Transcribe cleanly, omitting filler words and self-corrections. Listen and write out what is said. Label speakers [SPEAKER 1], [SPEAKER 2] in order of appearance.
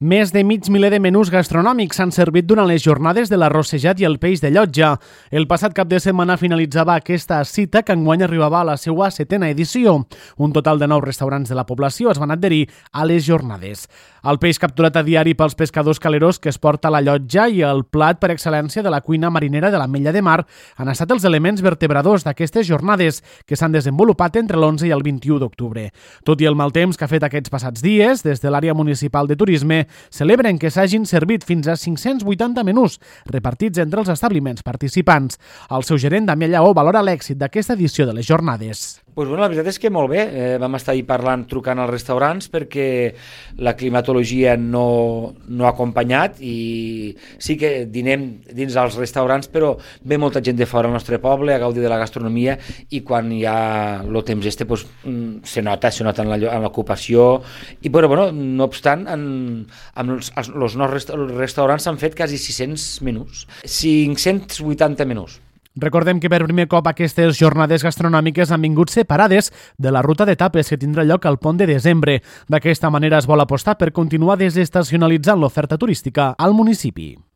[SPEAKER 1] Més de mig miler de menús gastronòmics s'han servit durant les jornades de l'arrossejat i el peix de llotja. El passat cap de setmana finalitzava aquesta cita que enguany arribava a la seva 7a edició. Un total de 9 restaurants de la població es van adherir a les jornades. El peix capturat a diari pels pescadors caleros que es porta a la llotja i el plat per excel·lència de la cuina marinera de l'Ametlla de Mar han estat els elements vertebradors d'aquestes jornades que s'han desenvolupat entre l'11 i el 21 d'octubre. Tot i el mal temps que ha fet aquests passats dies, des de l'àrea municipal de turisme celebren que s'hagin servit fins a 580 menús repartits entre els establiments participants. El seu gerent, Damià Lleó, valora l'èxit d'aquesta edició de les jornades.
[SPEAKER 2] La veritat és que molt bé. Vam estar ahir trucant als restaurants perquè la climatologia no ha acompanyat i sí que dinem dins els restaurants, però ve molta gent de fora al nostre poble a gaudir de la gastronomia i quan hi ha el temps se nota en l'ocupació i no obstant els nostres restaurants s'han fet quasi 600 menús, 580 menús.
[SPEAKER 1] Recordem que per primer cop aquestes jornades gastronòmiques han vingut separades de la ruta d'etapes que tindrà lloc al pont de desembre. D'aquesta manera es vol apostar per continuar desestacionalitzant l'oferta turística al municipi.